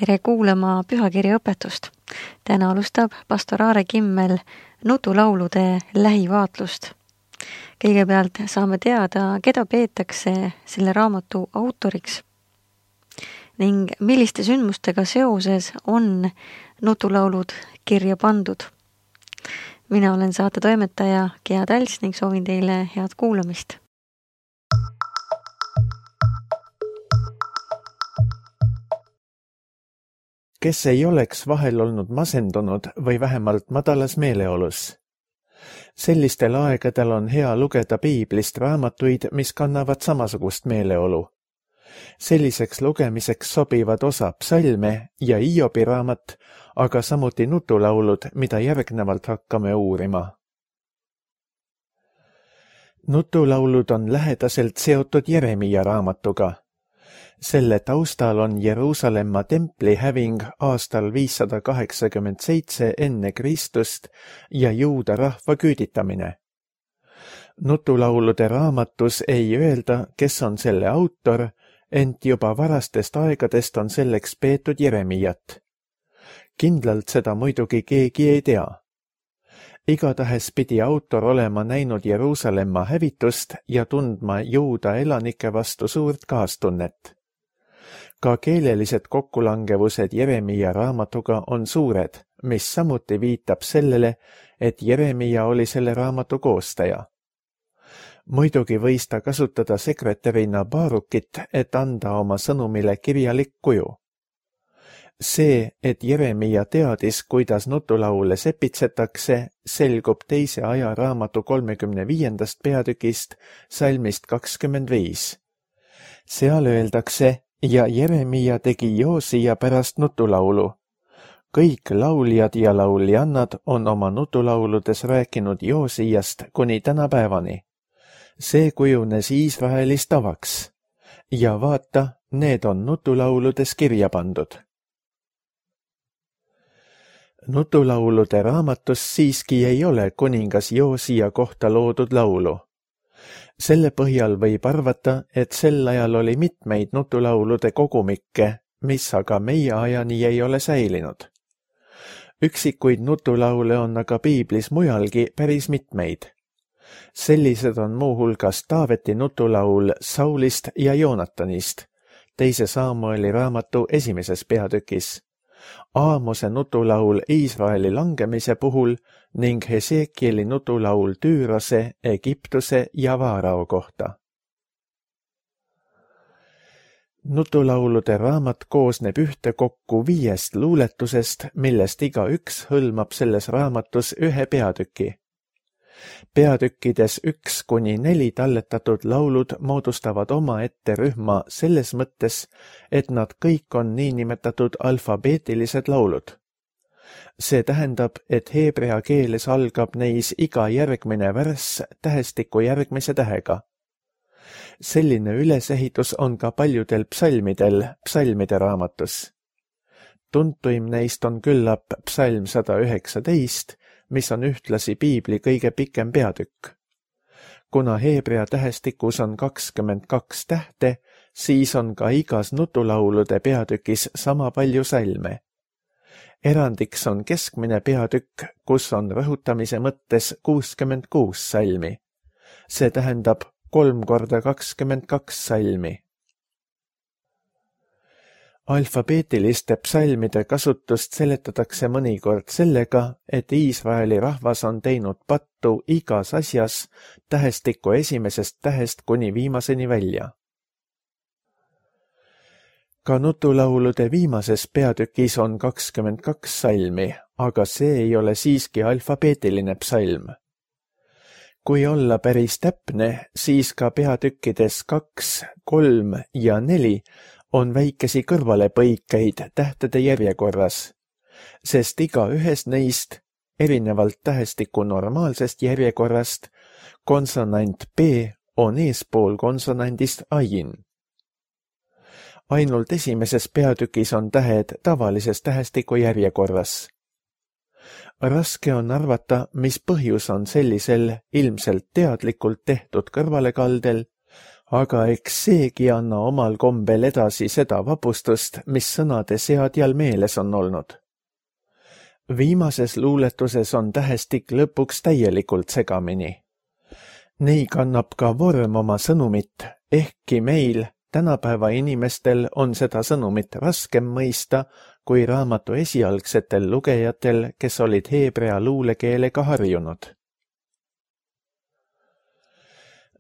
Tere kuulama pühakirja õpetust. Täna alustab pastor Aare Kimmel nutulaulude lähivaatlust. Kõigepealt saame teada, keda peetakse selle raamatu autoriks ning milliste sündmustega seoses on nutulaulud kirja pandud. Mina olen saate toimetaja Gea Talts ning soovin teile head kuulamist. Kes ei oleks vahel olnud masendunud või vähemalt madalas meeleolus? Sellistel aegadel on hea lugeda piiblist raamatuid, mis kannavad samasugust meeleolu. Selliseks lugemiseks sobivad osa psalme ja Hiobi raamat, aga samuti nutulaulud, mida järgnevalt hakkame uurima. Nutulaulud on lähedaselt seotud Jeremia raamatuga. Selle taustal on Jeruusalemma templi häving aastal 587 enne Kristust ja juuda rahva küüditamine. Nutulaulude raamatus ei öelda, kes on selle autor, ent juba varastest aegadest on selleks peetud Jeremiat. Kindlalt seda muidugi keegi ei tea. Igatahes pidi autor olema näinud Jeruusalemma hävitust ja tundma juuda elanike vastu suurt kaastunnet. Ka keelelised kokkulangevused Jeremia raamatuga on suured, mis samuti viitab sellele, et Jeremia oli selle raamatu koostaja. Muidugi võis ta kasutada sekretärina Baarukit, et anda oma sõnumile kirjalik kuju. See, et Jeremia teadis, kuidas nutulaule sepitsetakse, selgub teise aja raamatu 35. peatükist salmist 25. Seal öeldakse, ja Jeremia tegi Joosia pärast nutulaulu. Kõik lauljad ja lauljannad on oma nutulauludes rääkinud Joosiast kuni tänapäevani. See kujunes Iisraelis tavaks. Ja vaata, need on nutulauludes kirja pandud. Nutulaulude raamatus siiski ei ole kuningas Joosia kohta loodud laulu. Selle põhjal võib arvata, et sel ajal oli mitmeid nutulaulude kogumikke, mis aga meie ajani ei ole säilinud. Üksikuid nutulaule on aga piiblis mujalgi päris mitmeid. Sellised on muuhulgas Taaveti nutulaul Saulist ja Joonatanist, teise Saamueli raamatu 1. peatükis, Aamose nutulaul Iisraeli langemise puhul ning Hesekieli nutulaul Tüürase, Egiptuse ja Vaarao kohta. Nutulaulude raamat koosneb ühtekokku 5 luuletusest, millest igaüks hõlmab selles raamatus ühe peatüki. Peatükkides 1-4 talletatud laulud moodustavad omaette rühma selles mõttes, et nad kõik on niinimetatud alfabeetilised laulud. See tähendab, et heebrea keeles algab neis iga järgmine värss tähestiku järgmise tähega. Selline ülesehitus on ka paljudel psalmidel psalmide raamatus. Tuntuim neist on küllap psalm 119, mis on ühtlasi piibli kõige pikem peatükk. Kuna heebrea tähestikus on 22 tähte, siis on ka igas nutulaulude peatükis sama palju salme. Erandiks on keskmine peatükk, kus on rõhutamise mõttes 66 salmi. See tähendab 3 korda 22 salmi. Alfabeetiliste psalmide kasutust seletatakse mõnikord sellega, et Iisraeli rahvas on teinud pattu igas asjas tähestiku esimesest tähest kuni viimaseni välja. Ka nutulaulude viimases peatükis on 22 salmi, aga see ei ole siiski alfabeetiline psalm. Kui olla päris täpne, siis ka peatükkides 2, 3 ja 4 on väikesi kõrvalepõikeid tähtede järjekorras, sest iga ühes neist, erinevalt tähestiku normaalsest järjekorrast, konsonant B on eespool konsonandist ain. Ainult esimeses peatükis on tähed tavalises tähestiku järjekorras. Raske on arvata, mis põhjus on sellisel ilmselt teadlikult tehtud kõrvalekaldel, aga eks seegi anna omal kombel edasi seda vapustust, mis sõnade seadjal meeles on olnud. Viimases luuletuses on tähestik lõpuks täielikult segamini. Nii kannab ka vorm oma sõnumit, ehkki meil, tänapäeva inimestel, on seda sõnumit raskem mõista kui raamatu esialgsetel lugejatel, kes olid heebrea luulekeelega harjunud.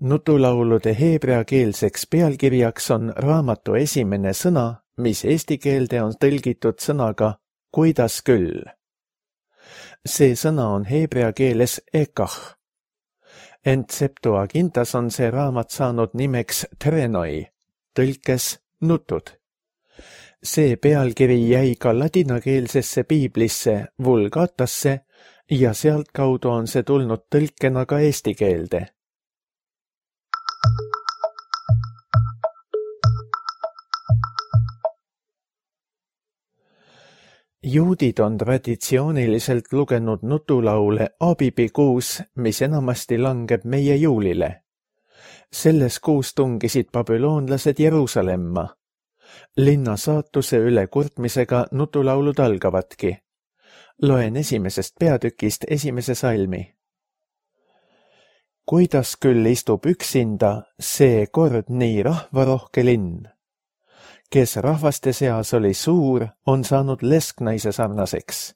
Nutulaulude heebreakeelseks pealkirjaks on raamatu esimene sõna, mis eesti keelde on tõlgitud sõnaga kuidas küll. See sõna on heebrea keeles ekah. Ent Septuagintas on see raamat saanud nimeks Trenoi, tõlkes nutud. See pealkiri jäi ka ladinakeelsesse piiblisse Vulgatasse ja sealtkaudu on see tulnud tõlkena ka eesti keelde. Juudid on traditsiooniliselt lugenud nutulaule Abibikuus, mis enamasti langeb meie juulile. Selles kuus tungisid babüloonlased Jeruusalemma. Linna saatuse üle kurtmisega nutulaulud algavadki. Loen esimesest peatükist esimese salmi. Kuidas küll istub üksinda see kord nii rahvarohke linn? Kes rahvaste seas oli suur, on saanud lesknaise sarnaseks.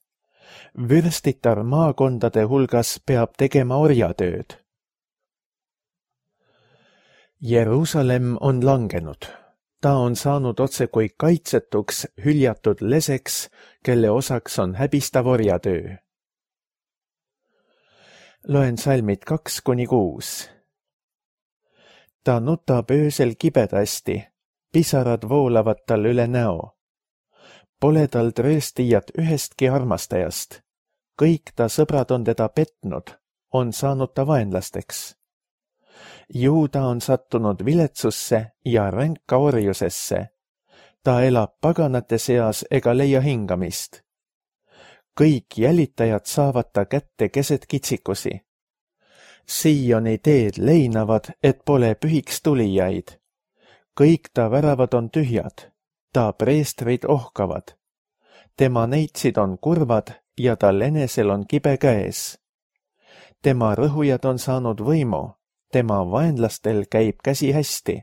Vürstitar maakondade hulgas peab tegema orjatööd. Jeruusalemm on langenud. Ta on saanud otse kui kaitsetuks hüljatud leseks, kelle osaks on häbistav orjatöö. Loen salmid 2-6. Ta nutab öösel kibedasti. Pisarad voolavad tal üle näo. Pole tal trööstijat ühestki armastajast. Kõik ta sõbrad on teda petnud, on saanud ta vaenlasteks. Juuda on sattunud viletsusse ja ränka orjusesse. Ta elab paganate seas ega leia hingamist. Kõik jälitajad saavad ta kätte keset kitsikusi. Sioni teed leinavad, et pole pühiks tulijaid. Kõik ta väravad on tühjad, ta preestrid ohkavad. Tema neitsid on kurvad ja tal enesel on kibe käes. Tema rõhujad on saanud võimu, tema vaenlastel käib käsi hästi.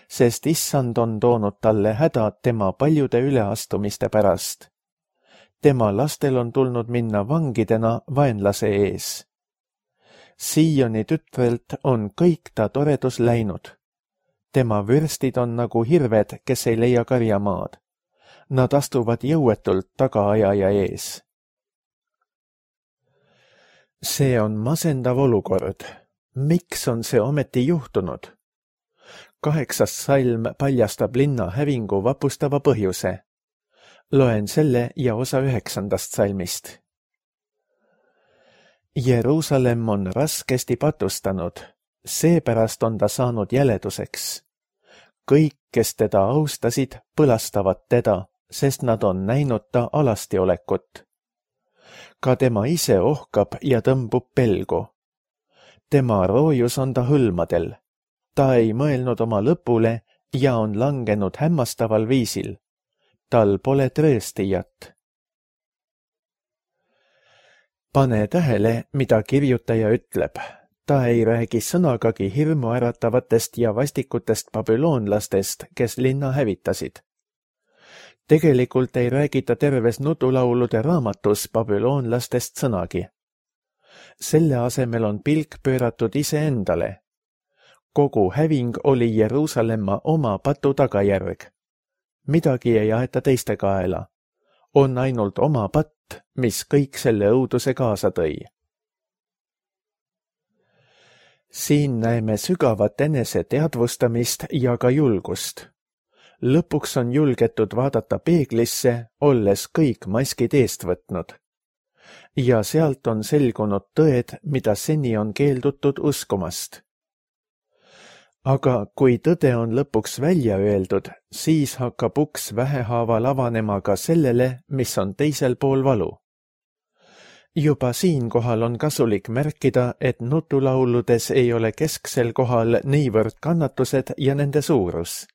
Sest issand on toonud talle hädad tema paljude üleastumiste pärast. Tema lastel on tulnud minna vangidena vaenlase ees. Sioni tütrelt on kõik ta toredus läinud. Tema vürstid on nagu hirved, kes ei leia karjamaad. Nad astuvad jõuetult tagaajaja ees. See on masendav olukord. Miks on see ometi juhtunud? 8. salm paljastab linna hävingu vapustava põhjuse. Loen selle ja osa 9. salmist. Jeruusalemm on raskesti patustanud. Seepärast on ta saanud jäleduseks. Kõik, kes teda austasid, põlastavad teda, sest nad on näinud ta alastiolekut. Ka tema ise ohkab ja tõmbub pelgu. Tema roojus on ta hõlmadel. Ta ei mõelnud oma lõpule ja on langenud hämmastaval viisil. Tal pole trööstijat. Pane tähele, mida kirjutaja ütleb. Ta ei räägi sõnagagi hirmu äratavatest ja vastikutest babüloonlastest, kes linna hävitasid. Tegelikult ei räägita terves nutulaulude raamatus babüloonlastest sõnagi. Selle asemel on pilk pööratud iseendale. Kogu häving oli Jeruusalemma oma patu tagajärg. Midagi ei aeta teiste kaela. On ainult oma patt, mis kõik selle õuduse kaasa tõi. Siin näeme sügavat enese teadvustamist ja ka julgust. Lõpuks on julgetud vaadata peeglisse, olles kõik maskid eest võtnud. Ja sealt on selgunud tõed, mida seni on keeldutud uskumast. Aga kui tõde on lõpuks välja öeldud, siis hakkab uks vähehaaval avanema ka sellele, mis on teisel pool valu. Juba siinkohal on kasulik märkida, et nutulauludes ei ole kesksel kohal niivõrd kannatused ja nende suurus.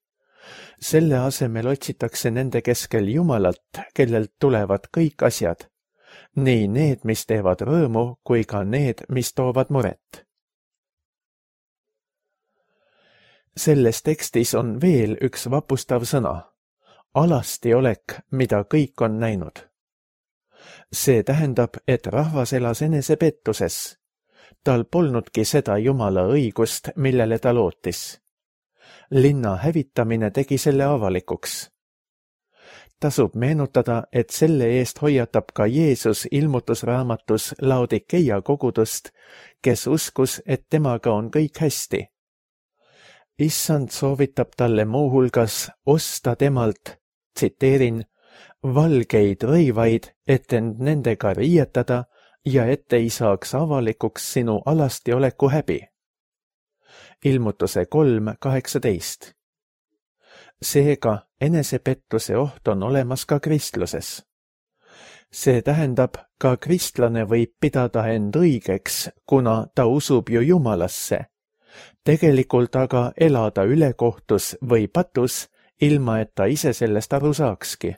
Selle asemel otsitakse nende keskel Jumalat, kellelt tulevad kõik asjad, nii need, mis teevad rõõmu, kui ka need, mis toovad muret. Selles tekstis on veel üks vapustav sõna, alasti olek, mida kõik on näinud. See tähendab, et rahvas elas enesepettuses. Tal polnudki seda Jumala õigust, millele ta lootis. Linna hävitamine tegi selle avalikuks. Tasub meenutada, et selle eest hoiatab ka Jeesus ilmutusraamatus Laodikeia kogudust, kes uskus, et temaga on kõik hästi. Issand soovitab talle muuhulgas osta temalt, tsiteerin, valgeid rõivaid, et end nendega riietada ja et ei saaks avalikuks sinu alasti oleku häbi. Ilmutuse 3:18. Seega enesepettuse oht on olemas ka kristluses. See tähendab, ka kristlane võib pidada end õigeks, kuna ta usub ju Jumalasse. Tegelikult aga elada ülekohtus või patus, ilma et ta ise sellest aru saakski.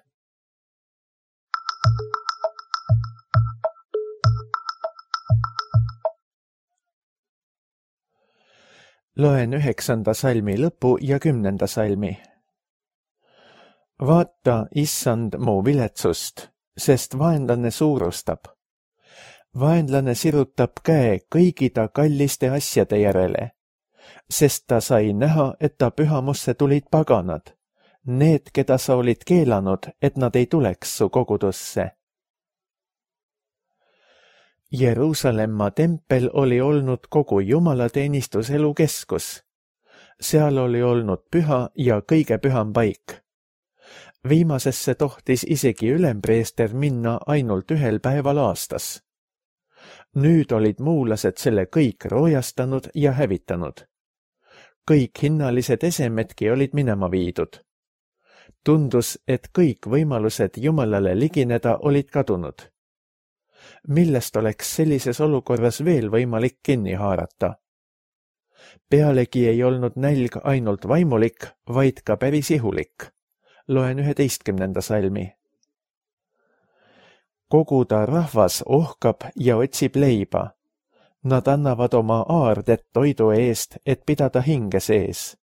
Loen 9. salmi lõpu ja 10. salmi. Vaata, issand, mu viletsust, sest vaenlane suurustab. Vaenlane sirutab käe kõigi ta kalliste asjade järele, sest ta sai näha, et ta pühamusse tulid paganad, need, keda sa olid keelanud, et nad ei tuleks su kogudusse. Jeruusalemma tempel oli olnud kogu jumalateenistuselu keskus. Seal oli olnud püha ja kõige püham paik. Viimasesse tohtis isegi ülempreester minna ainult ühel päeval aastas. Nüüd olid muulased selle kõik roojastanud ja hävitanud. Kõik hinnalised esemedki olid minema viidud. Tundus, et kõik võimalused Jumalale ligineda olid kadunud. Millest oleks sellises olukorras veel võimalik kinni haarata? Pealegi ei olnud nälg ainult vaimulik, vaid ka päris ihulik. Loen 11. salmi. Kogu ta rahvas ohkab ja otsib leiba. Nad annavad oma aardet toidu eest, et pidada hinge sees.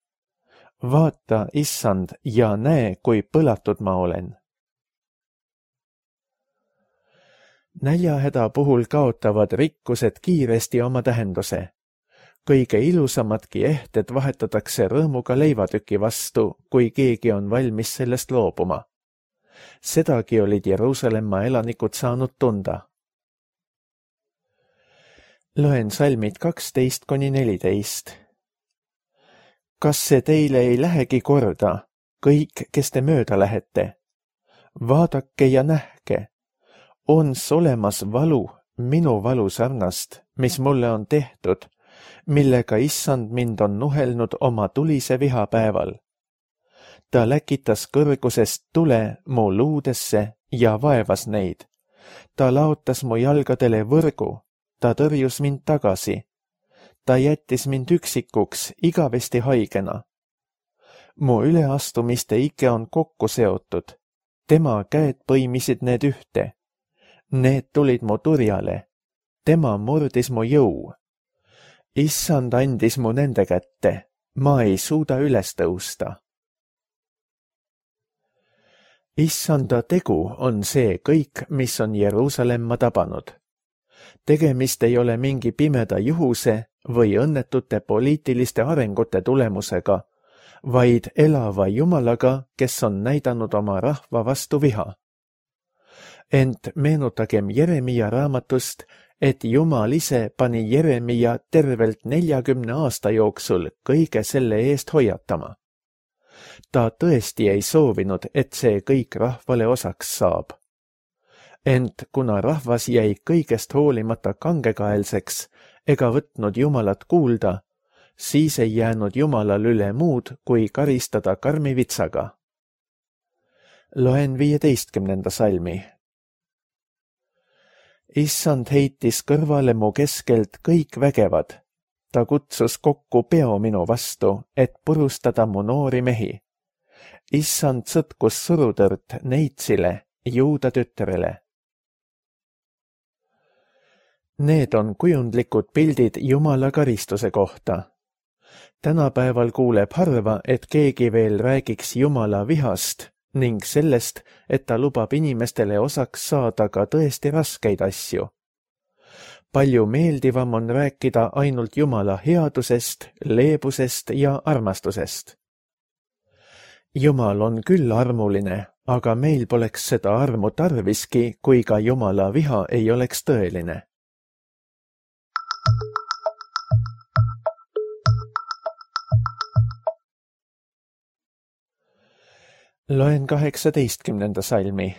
Vaata, issand, ja näe, kui põlatud ma olen. Näljahäda puhul kaotavad rikkused kiiresti oma tähenduse. Kõige ilusamadki ehted vahetatakse rõõmuga leivatüki vastu, kui keegi on valmis sellest loobuma. Sedagi olid Jeruusalemma elanikud saanud tunda. Loen salmid 12–14. Kas see teile ei lähegi korda, kõik, kes te mööda lähete? Vaadake ja nähke. Ons olemas valu, minu valu sarnast, mis mulle on tehtud, millega issand mind on nuhelnud oma tulise vihapäeval. Ta läkitas kõrgusest tule mu luudesse ja vaevas neid. Ta laotas mu jalgadele võrgu, ta tõrjus mind tagasi. Ta jättis mind üksikuks igavesti haigena. Mu üleastumiste ike on kokku seotud. Tema käed põimisid need ühte. Need tulid mu turjale. Tema murdis mu jõu. Issand andis mu nende kätte. Ma ei suuda üles tõusta. Issanda tegu on see kõik, mis on Jeruusalemma tabanud. Tegemist ei ole mingi pimeda juhuse või õnnetute poliitiliste arengute tulemusega, vaid elava Jumalaga, kes on näidanud oma rahva vastu viha. Ent meenutagem Jeremia raamatust, et Jumal ise pani Jeremia tervelt 40 aasta jooksul kõige selle eest hoiatama. Ta tõesti ei soovinud, et see kõik rahvale osaks saab. Ent kuna rahvas jäi kõigest hoolimata kangekaelseks ega võtnud Jumalat kuulda, siis ei jäänud Jumalal üle muud, kui karistada karmi vitsaga. Loen 15. salmi. Issand heitis kõrvale mu keskelt kõik vägevad. Ta kutsus kokku peo minu vastu, et purustada mu noori mehi. Issand sõtkus surutõrt Neitsile, Juuda tütrele. Need on kujundlikud pildid Jumala karistuse kohta. Tänapäeval kuuleb harva, et keegi veel räägiks Jumala vihast ning sellest, et ta lubab inimestele osaks saada ka tõesti raskeid asju. Palju meeldivam on rääkida ainult Jumala headusest, leebusest ja armastusest. Jumal on küll armuline, aga meil poleks seda armu tarviski, kui ka Jumala viha ei oleks tõeline. Loen 18. salmi.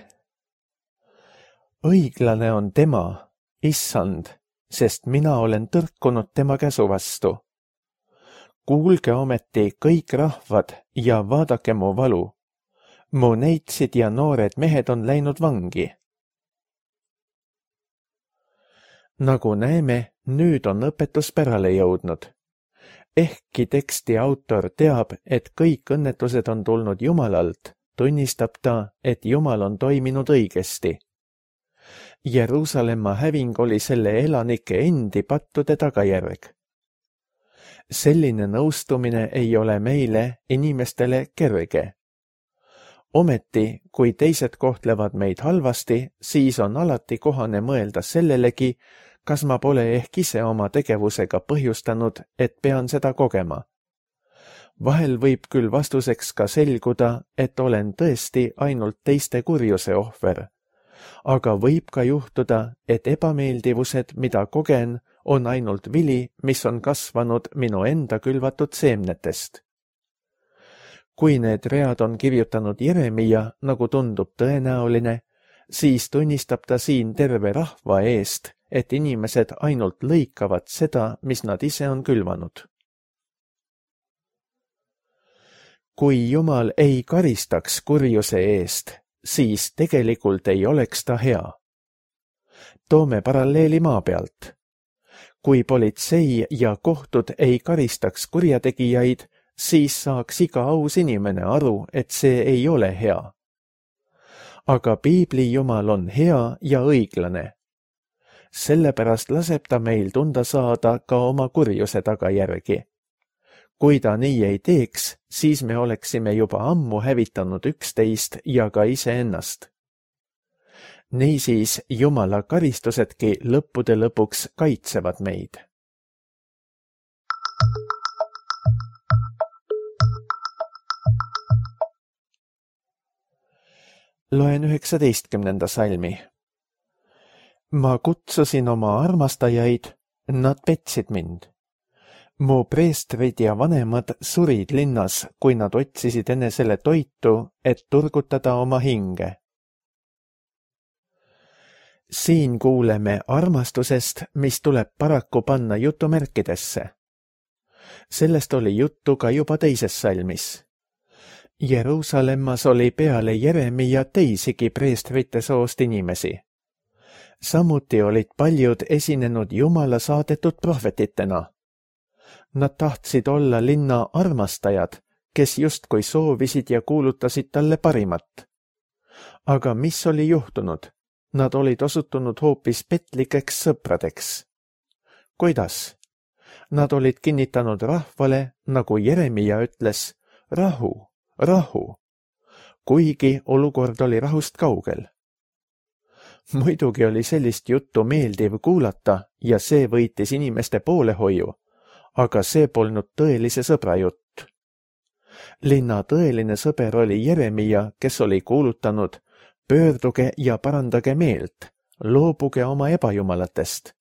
Õiglane on tema, Issand, sest mina olen tõrkunud tema käsu vastu. Kuulge ometi kõik rahvad ja vaadake mu valu. Mu neitsid ja noored mehed on läinud vangi. Nagu näeme, nüüd on õpetus pärale jõudnud. Ehkki teksti autor teab, et kõik õnnetused on tulnud Jumalalt, tunnistab ta, et Jumal on toiminud õigesti. Jeruusalemma häving oli selle elanike endi pattude tagajärg. Selline nõustumine ei ole meile, inimestele, kerge. Ometi, kui teised kohtlevad meid halvasti, siis on alati kohane mõelda sellelegi, kas ma pole ehk ise oma tegevusega põhjustanud, et pean seda kogema. Vahel võib küll vastuseks ka selguda, et olen tõesti ainult teiste kurjuse ohver. Aga võib ka juhtuda, et ebameeldivused, mida kogen, on ainult vili, mis on kasvanud minu enda külvatud seemnetest. Kui need read on kirjutanud Jeremia, nagu tundub tõenäoline, siis tunnistab ta siin terve rahva eest, et inimesed ainult lõikavad seda, mis nad ise on külvanud. Kui Jumal ei karistaks kurjuse eest, siis tegelikult ei oleks ta hea. Toome paralleeli maa pealt. Kui politsei ja kohtud ei karistaks kurjategijaid, siis saaks iga aus inimene aru, et see ei ole hea. Aga piibli Jumal on hea ja õiglane. Sellepärast laseb ta meil tunda saada ka oma kurjuse tagajärgi. Kui ta nii ei teeks, siis me oleksime juba ammu hävitanud üksteist ja ka iseennast. Niisiis Jumala karistusedki lõppude lõpuks kaitsevad meid. Loen 19. salmi. Ma kutsusin oma armastajaid, nad petsid mind. Mu preestrid ja vanemad surid linnas, kui nad otsisid enesele toitu, et turgutada oma hinge. Siin kuuleme armastusest, mis tuleb paraku panna jutumärkidesse. Sellest oli juttu ka juba teises salmis. Jeruusalemmas oli peale Jeremia teisigi preestrite soost inimesi. Samuti olid paljud esinenud Jumala saadetud prohvetitena. Nad tahtsid olla linna armastajad, kes justkui soovisid ja kuulutasid talle parimat. Aga mis oli juhtunud? Nad olid osutunud hoopis petlikeks sõpradeks. Kuidas? Nad olid kinnitanud rahvale, nagu Jeremia ütles, rahu, rahu, kuigi olukord oli rahust kaugel. Muidugi oli sellist juttu meeldiv kuulata ja see võitis inimeste poolehoiu, aga see polnud tõelise sõbra jutt. Linna tõeline sõber oli Jeremia, kes oli kuulutanud, pöörduge ja parandage meelt, loobuge oma ebajumalatest.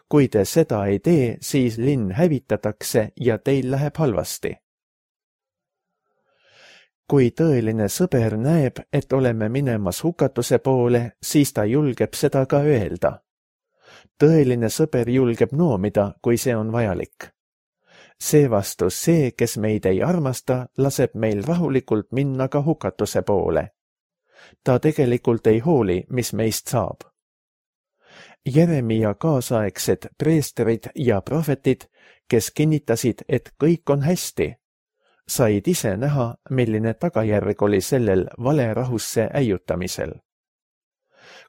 Kui te seda ei tee, siis linn hävitatakse ja teil läheb halvasti. Kui tõeline sõber näeb, et oleme minemas hukatuse poole, siis ta julgeb seda ka öelda. Tõeline sõber julgeb noomida, kui see on vajalik. Seevastu see, kes meid ei armasta, laseb meil rahulikult minna ka hukatuse poole. Ta tegelikult ei hooli, mis meist saab. Jeremia kaasaegsed preesterid ja prohvetid, kes kinnitasid, et kõik on hästi, said ise näha, milline tagajärg oli sellel valerahusse äiutamisel.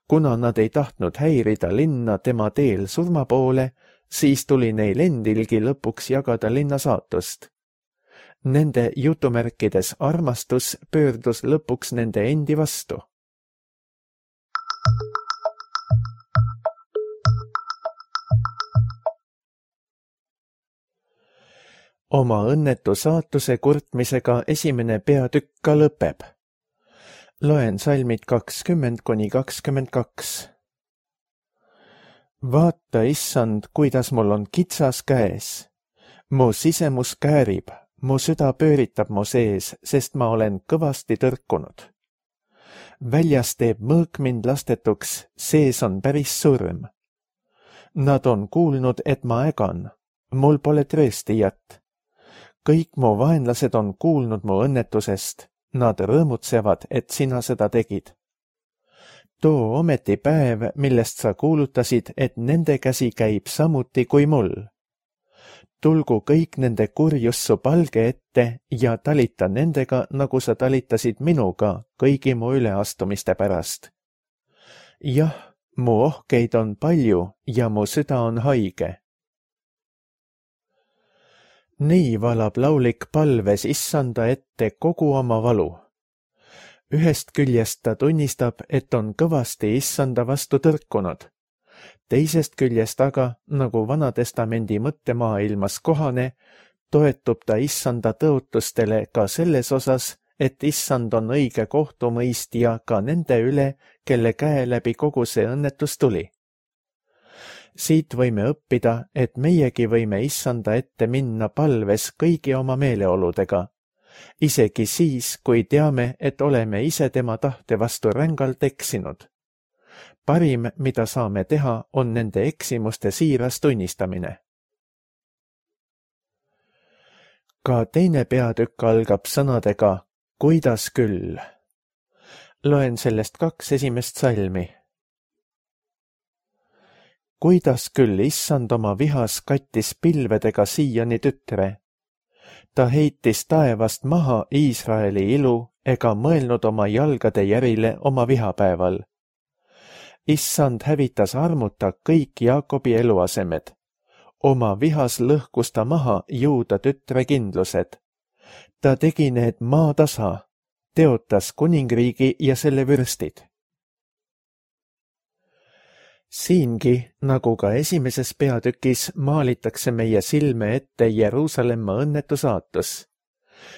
Kuna nad ei tahtnud häirida linna tema teel surma poole, siis tuli neil endilgi lõpuks jagada linna saatust. Nende jutumärkides armastus pöördus lõpuks nende endi vastu. Oma õnnetu saatuse kurtmisega esimene peatükk ka lõpeb. Loen salmid 20–22. Vaata, issand, kuidas mul on kitsas käes. Mu sisemus käärib, mu süda pööritab mu sees, sest ma olen kõvasti tõrkunud. Väljas teeb mõõk mind lastetuks, sees on päris surm. Nad on kuulnud, et ma ägan, mul pole trööstijat. Kõik mu vaenlased on kuulnud mu õnnetusest, nad rõõmutsevad, et sina seda tegid. Too ometi päev, millest sa kuulutasid, et nende käsi käib samuti kui mul. Tulgu kõik nende kurjus su palge ette ja talita nendega, nagu sa talitasid minuga kõigi mu üleastumiste pärast. Jah, mu ohkeid on palju ja mu süda on haige. Nii valab laulik palves issanda ette kogu oma valu. Ühest küljest ta tunnistab, et on kõvasti issanda vastu tõrkunud. Teisest küljest aga, nagu Vanatestamendi mõttemaailmas kohane, toetub ta issanda tõotustele ka selles osas, et issand on õige kohtumõistja ka nende üle, kelle käe läbi kogu see õnnetus tuli. Siit võime õppida, et meiegi võime issanda ette minna palves kõigi oma meeleoludega, isegi siis, kui teame, et oleme ise tema tahte vastu rängalt eksinud. Parim, mida saame teha, on nende eksimuste siiras tunnistamine. Ka teine peatükk algab sõnadega kuidas küll. Loen sellest 2 esimest salmi. Kuidas küll issand oma vihas kattis pilvedega Siioni tütre. Ta heitis taevast maha Iisraeli ilu ega mõelnud oma jalgade järile oma vihapäeval. Issand hävitas armuta kõik Jaakobi eluasemed. Oma vihas lõhkus ta maha Juuda tütre kindlused. Ta tegi need maatasa, teotas kuningriigi ja selle vürstid. Siingi, nagu ka esimeses peatükis, maalitakse meie silme ette Jeruusalemma õnnetu saatus.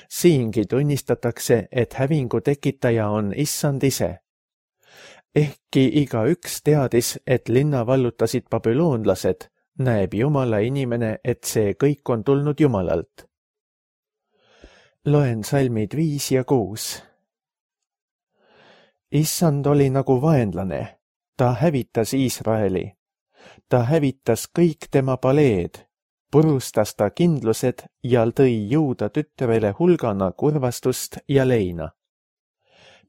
Siingi tunnistatakse, et hävingu tekitaja on issand ise. Ehkki igaüks teadis, et linna vallutasid babüloonlased, näeb Jumala inimene, et see kõik on tulnud Jumalalt. Loen salmid 5 ja 6. Issand oli nagu vaenlane. Ta hävitas Iisraeli. Ta hävitas kõik tema paleed, purustas ta kindlused ja tõi Juuda tütrele hulgana kurvastust ja leina.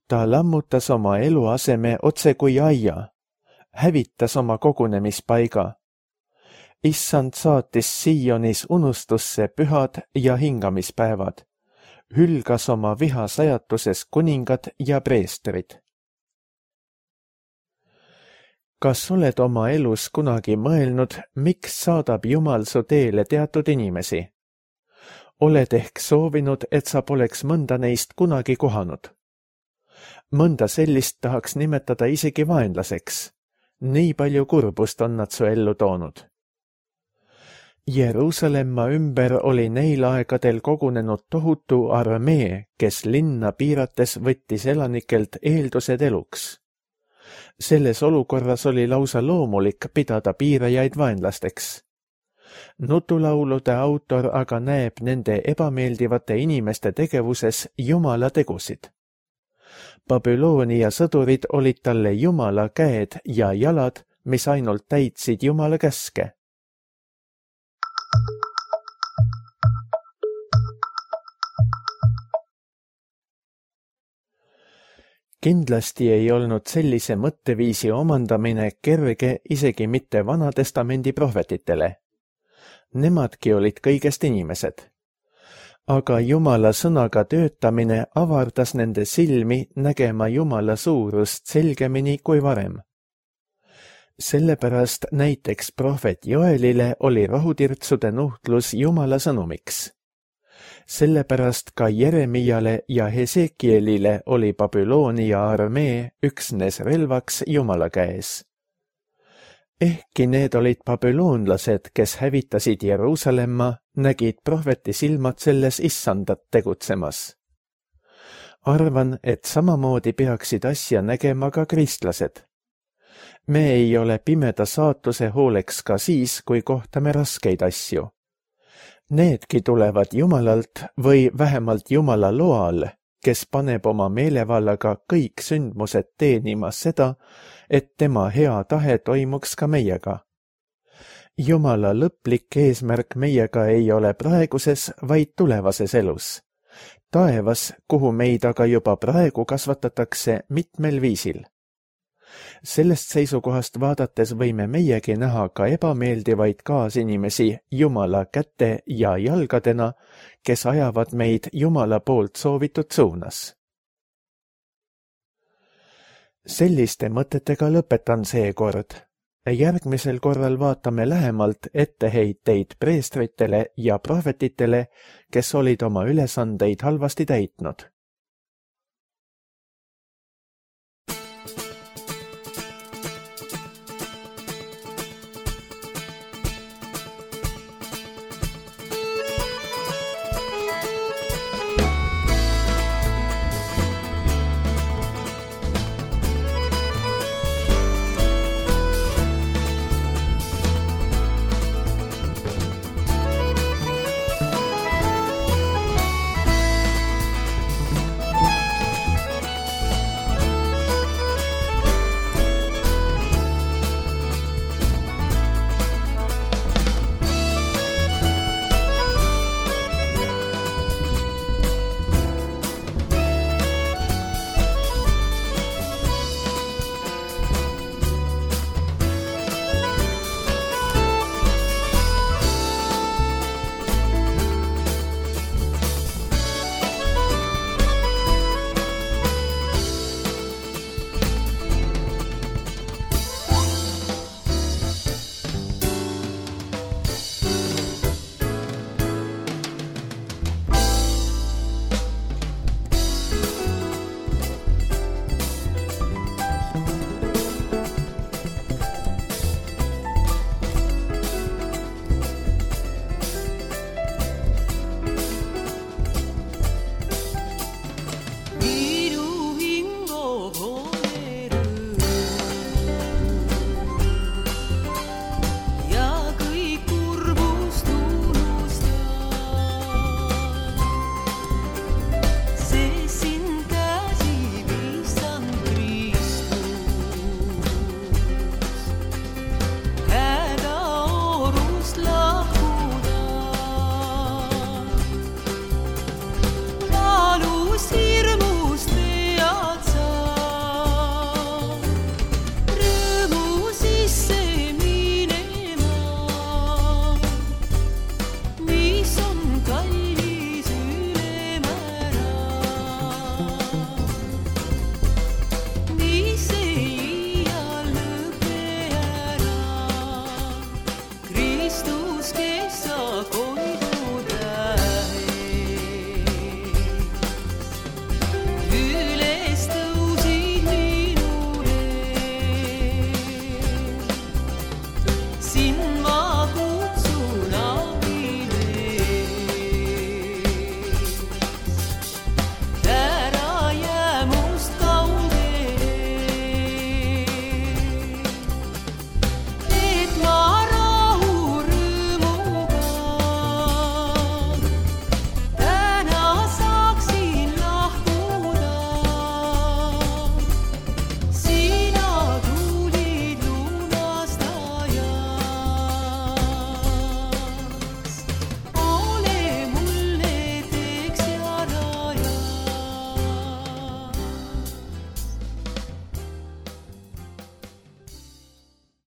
Ta lammutas oma eluaseme otse kui aia, hävitas oma kogunemispaiga. Issand saatis Sionis unustusse pühad ja hingamispäevad, hülgas oma viha sajatuses kuningad ja preestrid. Kas oled oma elus kunagi mõelnud, miks saadab Jumal su teele teatud inimesi? Oled ehk soovinud, et sa poleks mõnda neist kunagi kohanud? Mõnda sellist tahaks nimetada isegi vaenlaseks. Nii palju kurbust on nad su ellu toonud. Jeruusalemma ümber oli neil aegadel kogunenud tohutu armee, kes linna piirates võttis elanikelt eeldused eluks. Selles olukorras oli lausa loomulik pidada piirajaid vaenlasteks. Nutulaulude autor aga näeb nende ebameeldivate inimeste tegevuses Jumala tegusid. Babyloonia sõdurid olid talle Jumala käed ja jalad, mis ainult täitsid Jumala käske. Kindlasti ei olnud sellise mõtteviisi omandamine kerge isegi mitte Vana-testamendi prohvetitele. Nemadki olid kõigest inimesed. Aga Jumala sõnaga töötamine avardas nende silmi nägema Jumala suurust selgemini kui varem. Sellepärast näiteks prohvet Joelile oli rohutirtsude nuhtlus Jumala sõnumiks. Sellepärast ka Jeremiale ja Hesekielile oli Babyloonia armee üksnes relvaks Jumala käes. Ehkki need olid babüloonlased, kes hävitasid Jeruusalemma, nägid prohveti silmad selles issandat tegutsemas. Arvan, et samamoodi peaksid asja nägema ka kristlased. Me ei ole pimeda saatuse hooleks ka siis, kui kohtame raskeid asju. Needki tulevad Jumalalt või vähemalt Jumala loal, kes paneb oma meelevallaga kõik sündmused teenima seda, et tema hea tahe toimuks ka meiega. Jumala lõplik eesmärk meiega ei ole praeguses, vaid tulevases elus. Taevas, kuhu meid aga juba praegu kasvatatakse mitmel viisil. Sellest seisukohast vaadates võime meiegi näha ka ebameeldivaid kaasinimesi Jumala käte ja jalgadena, kes ajavad meid Jumala poolt soovitud suunas. Selliste mõtetega lõpetan seekord. Järgmisel korral vaatame lähemalt etteheiteid preestritele ja prohvetitele, kes olid oma ülesandeid halvasti täitnud.